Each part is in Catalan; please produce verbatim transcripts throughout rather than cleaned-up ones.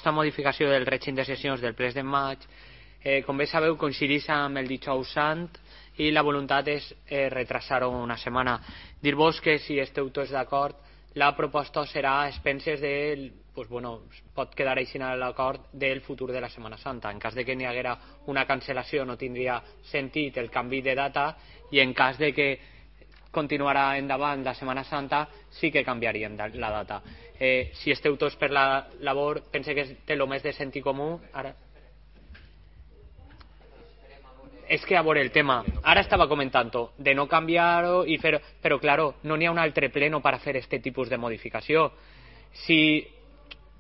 proposta de modificació del règim de sessions del ple de maig, eh, com bé sabeu, coincideix amb el dijous sant i la voluntat és eh, retrasar-ho una setmana. Dir-vos que si esteu tots d'acord, la proposta serà a expenses del, pues bueno, pot quedar així a l'acord del futur de la Setmana Santa. En cas de que n'hi haguera una cancel·lació no tindria sentit el canvi de data, i en cas de que continuarà endavant la Setmana Santa sí que canviaríem la data. Eh, si esteu tots per la labor, pense que té el més de sentit comú. Ara és que a veure el tema, ara estava comentant de no canviar-ho i fer, però claro, no n'hi ha un altre pleno per a fer aquest tipus de modificació. Si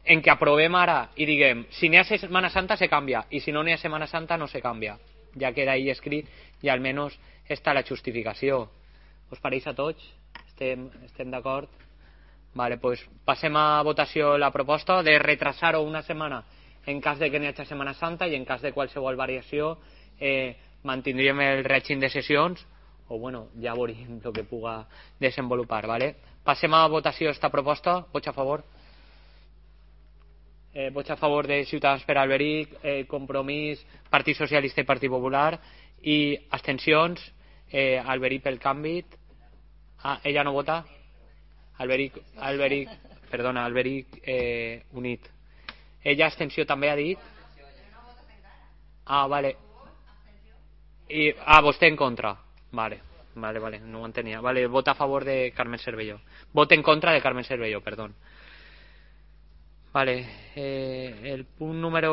en què aprovem ara i diguem, si n'hi ha Setmana Santa se canvia, i si no n'hi ha Setmana Santa no se canvia, ja queda ahí escrit i almenys està la justificació. Us pareix a tots? Estem, estem d'acord? Vale, pues passem a votació la proposta de retrasar-ho una setmana en cas de que n'hi hagi Setmana Santa, i en cas de qualsevol variació eh, mantindríem el règim de sessions, o bueno, ja veuríem el que puga desenvolupar, ¿vale? Passem a votació esta proposta. Vots a favor? Eh, vots a favor de Ciutadans per Alberic, eh, Compromís, Partit Socialista i Partit Popular, i abstencions, eh, Alberic pel canvi. Ah, ella no vota? Alberic, Alberic, perdona, Alberic eh, unit. Ella abstenció també ha dit? Ah, vale. I, ah, vostè en contra. Vale, vale, vale, no ho entenia. Vale, vota a favor de Carmen Cervelló. Vota en contra de Carmen Cervelló, perdón. Vale, eh, el punt número